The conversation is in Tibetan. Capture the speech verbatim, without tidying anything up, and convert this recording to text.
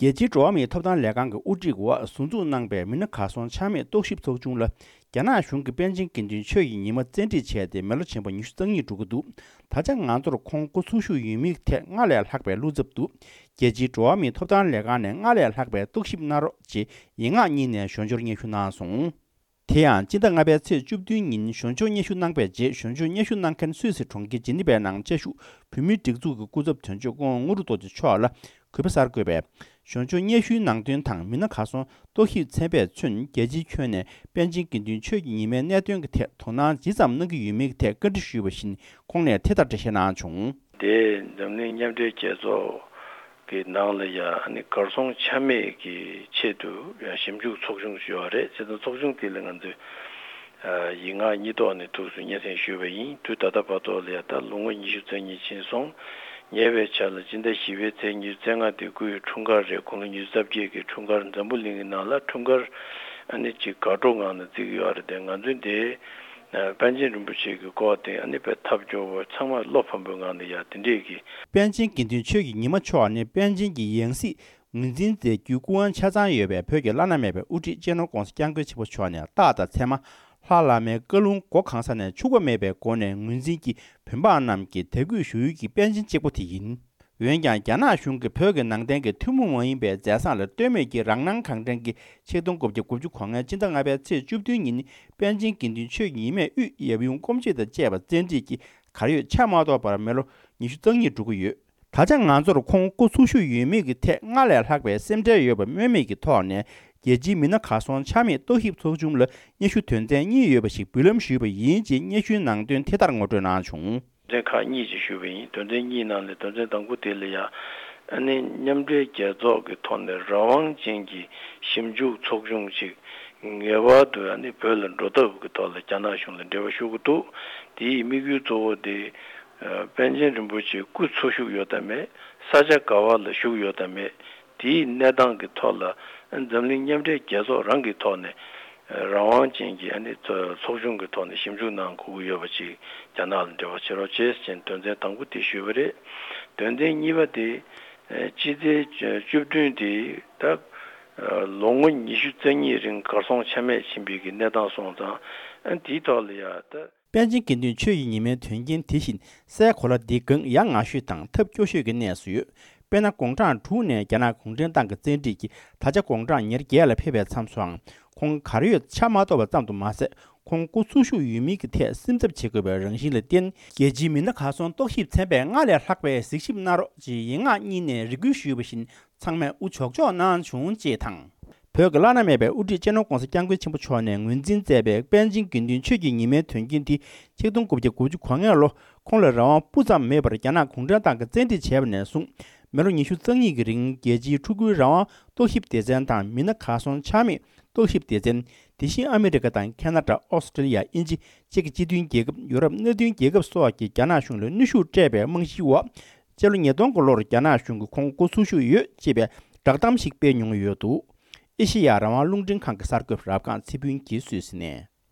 རྒྱལ་སྤྱིའི་འགྲོ་བ་མིའི་ཐོབ་ཐང་ལས་ཁང་གི་དབུ་ཁྲིད་འོག་ཟུར་འཛུགས་གནང་པའི་མི་སྣ་གར་སོང་ཆ་མེད་རྟོག་ཞིབ་ཚོགས་ཆུང་ལ། རྒྱ་ནག་གཞུང་གིས་པཎ་ཆེན་དགེ་འདུན་ཆོས་ཀྱི་ཉི་མ་བཙན་ཁྲིད་བྱས་ཏེ་མི་ལོ་ཆེན་པོ་ཉི་ཤུ་རྩ་གཉིས་འགྲོ་གི་འདུག་ད་ཆ་ང་ཚོར་ཁོང་སྐུ་འཚོ་བཞུགས་ཡོད་མེད་ཐད་སྔར་ལས་ལྷག་པའི་བློ་འཚབ་འདུག་རྒྱལ་སྤྱིའི་འགྲོ་བ་མིའི་ཐོབ་ཐང་ལས་ཁང་ནས་སྔར་ལས་ལྷག་པའི་རྟོག་ཞིབ་གནང་རོགས་ཅེས་ཡིག་ངག་གཉིས་ནས་ཞོར་འབྱོར་སྙན་ཞུ་གནང་སོང་། དེ་ཡང་སྤྱི་ཟླ་ལྔ་པའི་ཚེས་བཅུ་བདུན་ཉིན་ཞོར་འབྱོར་སྙན་ཞུ་གནང་པའི་རྗེས། ཞོར་འབྱོར་སྙན་ཞུ་གནང་མཁན་སུད་སི་གྲོང་ཁྱེར་ཇི་ནི་ཝའི་ནང་བཅའ་བཞུགས་བོད་མིའི་སྒྲིག་འཛུགས་ཀྱི་སྐུ་ཚབ་དོན་གཅོད་སྐུ་ངོ་དངོས་གྲུབ་རྡོ་རྗེ་མཆོག་ལ་གུས་པ་གསར་འགོད་པས། ཞོར་འབྱོར་སྙན་ཞུའི་ནང་དོན་དང་མི་སྣ་གར་སོང་རྟོག་ཞིབ་ཚན་པས་མཚོན། རྒྱལ་སྤྱིའི་ཁྱོན་ནས་པཎ་ཆེན་དགེ་འདུན་ཆོས་ཀྱི་ཉི་མའི་གནད་དོན་གྱི་ཐད་དོ་སྣང་ཇི་ཙམ་གནང་གི་ཡོད་མེད་ཀྱི་ཐད་བཀའ་འདྲི་ཞུས་པ་བཞིན། ཁོང་ནས་དེ་ལྟར་འགྲེལ་བཤད་གནང་བྱུང་། དེ་འཛམ་གླིང་མཉམ་འབྲེལ་རྒྱལ་ཚོགས་ཀྱི་ནང་ལ་ཡང་ཨ་ནི་གར་སོང་ཆ་མེད་ཀྱི་ཆེད་དུ་ཡང་ཞིབ་འཇུག་ཚོགས་ཆུང་ཞིག་ཡོད་རེད། བྱས་ཙང་ཚོགས་ཆུང་དེ་ལ་ང་ཚོས་ཨ་ཡིག་ངག་གཉིས་ཐོག་ནས་ཐུགས་སུ་སྙན་སེང་ཞུས་པ་ཡིན། དུས་ད་ལྟ་བར་དུ་ལ་ཡང་ད་ལོ་ངོ་ཉི་ཤུ་རྩ་གཉིས་ཕྱིན་སོང་། ཉེ་བའི་ཆར་ལ་སྤྱི་ཟླ་བཞི་པའི་ཚེས་ཉི་ཤུ་རྩ་ལྔ་དེ་སྐུའི་འཁྲུངས་སྐར་རེད། དགུང་ལོ་ཉི་ཤུ་རྩ་བརྒྱད་ཀྱི་འཁྲུངས་སྐར་འཛམ་བུ་གླིང་གི་ནང་ལ་འཁྲུངས་སྐར་ཨ་ནི་ཅིག་དགའ་སྤྲོ་ངང་ནས་བརྩི་གི་ཡོད་རེད་དེ། ང་ཚོས་འདི་ཨ་པཎ་ཆེན་རིན་པོ་ཆེ་གི་སྐོར་དེ་ཨ་ནི་དཔེ་ཐབས་སྐྱོ་བོ་ཚང་མ་བློ་ཕམ་པོའི་ངང་ནས་ཡ་དེ་འདྲས་ཀྱི། པཎ་ཆེན་དགེ་འདུན་ཆོས་ཀྱི་ཉི་མ་མཆོག་ནི་པཎ་ཆེན་གྱི་ཡང་སྲིད་ངོས་འཛིན་མཛད་རྒྱུའི་སྐུ་དབང་ཆ་ཚང་ཡོད་པའི་བོད་ཀྱི་བླ་ན་མེད་པའི་དབུ་ཁྲིད་སྤྱི་ནོར་༸གོང་ས་༸སྐྱབས་མགོན་ཆེན་པོ་མཆོག་ནས་རྟག་དང་མཚན་མ་ལྷ་བླ་མའི་བཀའ་ལུང་གོ་གང་ས་ནས་འཕྱུགས་པ་མེད་པའི་སྒོ་ནས་ངོས་འཛིན་གྱིས་བོད་འབངས་རྣམས་ཀྱི་དད་གུས་ཞུ་ཡུལ་གྱི་པཎ་ཆེན་གཅིག་པུ་དེ་ཡིན། འོན་ཀྱང་རྒྱ་ནག་གཞུང་གིས་བོད་ཀྱི་ནང་བསྟན་གྱི་ཐུན་མོང་མ་ཡིན་པའི་མཛད་བཟང་ལ་ལྟོས་མེད་ཀྱིས་རང་སྣང་གང་དྲན་གྱིས་ཆིག་སྟོང་དགུ་བརྒྱ་དགུ་བཅུ་གོ་ལྔའི་སྤྱི་ཟླ་ལྔ་པའི་ཚེས་བཅུ་བདུན་ཉིན་པཎ་ཆེན་དགེ་འདུན་ཆོས་ཀྱི་ཉི་མས་དབུས་ཡབ་ཡུམ་སྐུ་མཆེད་དང་བཅས་པ་བཙན་ཁྲིད་ཀྱིས་གར་ཡོད་ཆ་མ་གཏོགས་པར་མི་ལོ་ཉི་ཤུ་རྩ་གཉིས་འགྲོ་གི་ཡོད། ད་ཆ་ང་ཚོར་ཁོང་སྐུ་འཚོ་བཞུགས་ཡོད་མེད་ཀྱི་ཐད་སྔར་ལས་ལྷག་པའི་སེམས་ཁྲལ་ཡོད་པ་སྨོས་མེད་ཀྱི་ཐོག་ནས་རྒྱལ་སྤྱིའི་མི་སྣ་གར་སོང་ཆ་མེད་རྟོག་ཞིབ་ཚོགས་ཆུང་ལ་སྙན་ཞུ་དོན་ཚན་གཉིས་ཡོད་པ་ཞིག་འབུལ་ལམ་ཞུས་པ་ཡིན་ཅེས་སྙན་ཞུའི་ནང་དོན་དེ་ལྟར་ངོ་སྤྲོད་གནང་བྱུང་། དོན་ཚན་ཁག་གཉིས་ཅིག་ཞུས་པ་ཡིན། དོན་ཚན་གཉིས་ནང་ནས་དོན་ཚན་དང་པོ་དེ་ལ་ཡང་ཨ་ནི་མཉམ་འབྲེལ་རྒྱལ་ཚོགས་ཀྱི་ཐོག་ནས་རང་དབང་ཅན་གྱི་ཞིབ་འཇུག་ཚོགས་ཆུང་ཅིག་ངེས་པར་དུ་ཨ་ནི་བོད་ལ་འགྲོ་ཐབས་ཀྱི་ཐོག་ལ་རྒྱ་ནག་གཞུང་ལ་འབྲེལ་བ་ཞུ་གི་འདུག་དེའི་དམིགས་ཡུལ་གཙོ་བོ་དེ་ཨ་པཎ་ཆེན་རིན་པོ་ཆེ་སྐུ་འཚོ་བཞུགས་ཡོད་དམ་མེད། ས་ཆ་ག་བ་ལ་བཞུགས་ཡོད་དམ་མེད། དེའི་གནས་སྟངས་ཀྱི་ཐོག་ལ་འཛམ་གླིང་མཉམ་འབྲེལ་རྒྱལ་ཚོགས་རང་གི་ཐོག་ནས་རང་དབང་ཅན་གྱི་ཨ་ནི་ཚོ་ཚོགས་ཆུང་གི་ཐོག་ནས་ཞིབ་འཇུག་གནང་དགོས་ཀྱི་ཡོད་པ་ཅིག་རྒྱ་ནག་ལ་འབྲེལ་བ་བྱེད་རོགས་བྱེད་ཅེས་དོན་ཚན་དང་པོ་དེ་ཞུས་པ་རེད། དོན་ཚན་གཉིས་པ་དེ་ཨ་སྤྱི་ཚེས་བཅུ་བདུན་དེ་ད་ཨ་ལོ་ངོ་ཉི་ཤུ་རྩ་གཉིས་རིང་གར་སོང་ཆ་མེད་ཕྱིན་པའི་གི་གནས་སྟངས་སོང་ཙང་ཨ་དེའི་ཐོག་ལ་ཡ་ད། པཎ་ཆེན་དགེ་འདུན་ཆོས་ཀྱི་ཉི་མའི་དོན་རྐྱེན་དེ་བཞིན་སའི་གོ་ལ་འདི་གང་ཡ་ང་ཤོས་དང་ཐབས་སྐྱོ་ཤོས་ཀྱི་གནས་སུ་ཡོད། དཔེར་ན་དགུང་གྲངས་དྲུག་ནས་རྒྱ་ནག་གུང་ཁྲན་ཏང་གི་བཙན་ཁྲིད་ཀྱིས་ད་ཆ་དགུང་གྲངས་ཉེར་བརྒྱད་ལ་ཕེབས་པའི་མཚམས་སུའང་ཁོང་གར་ཡོད་ཆ་མ་གཏོགས་པ་ཙམ་དུ་མ་ཟད། ཁོང་སྐུ་འཚོ་བཞུགས་ཡོད་མེད་ཀྱི་ཐད་སེམས་འཚབ་བྱེད་དགོས་པའི་རང་བཞིན་ལ་བརྟེན། རྒྱལ་སྤྱིའི་མི་སྣ་གར་སོང་རྟོག་ཞིབ་ཚན་པས་སྔར་ལས་ལྷག་པའི་གཟིགས་ཞིབ་གནང་རོགས་ཅེས་ཡིག་ངག་གཉིས་ནས་རེ་སྐུལ་ཞུས་པ་བཞིན་ཚང་མས་དབུ་ལྕོག་ལྕོག་གནང་བྱུང་ཅེས་དང་། བོད་ཀྱི་བླ་ན་མེད་པའི་དབུ་ཁྲིད་སྤྱི་ནོར་༸གོང་ས་༸སྐྱབས་མགོན་ཆེན་པོ་མཆོག་ནས་ངོས་འཛིན་མཛད་པའི་པཎ་ཆེན་དགེ་འདུན་ཆོས་ཀྱི་ཉི་མའི་དོན་རྐྱེན་དེ་ཆིག་སྟོང་དགུ་བརྒྱ་དགུ་བཅུ་གོ་ལྔ་ལོ་ཁོང་ལ་རང་དབང་སྤུ་ཙམ་མེད་པར་རྒྱ་ནག་གུང་ཁྲན་ཏང་གིས་བཙན་ཁྲིད་བྱས་པ་ནས་བཟུང་མི་ལོ་ཉི་ཤུ་རྩ་གཉིས་ཀྱི་རིང་རྒྱལ་སྤྱིའི་ཕྲུ་གུའི་རང་དབང་རྟོག་ཞིབ་སྡེ་ཚན་དང་མི་སྣ་གར་སོང་ཆ་མེད་རྟོག་ཞིབ་སྡེ་ཚན། དེ་བཞིན་ཨ་མི་རི་ཀ་དང་ཁེ་ན་ཌ། ཨོ་སི་ཀྲི་ལི་ཡ། དབྱིན་ཇི། ཅེཀ་སྤྱི་མཐུན་རྒྱལ་ཁབ། ཡུ་རོབ་མནའ་མཐུན་རྒྱལ་ཁབ་སོགས་ཀྱིས་རྒྱ་ནག་གཞུང་ལ་གནོན་ཤུགས་སྤྲད་པའི་རྨང་གཞིའི་འོག་སྤྱི་ལོ་ཉིས་སྟོང་གི་ལོར་རྒྱ་ནག་གཞུང་གིས་ཁོང་སྐུ་འཚོ་བཞུགས་ཡོད་ཅེས་པའི་བསྒྲགས་གཏམ་ཞིག་སྤེལ་མྱོང་ཡོད་འདུག་ཨེ་ཤེ་ཡ་རང་དབང་རླུང་འཕྲིན་ཁང་གི་གསར་འགོད་པ་རབ་སྒང་ཚེ་ཕུན་གྱིས་སུད་སི་ནས།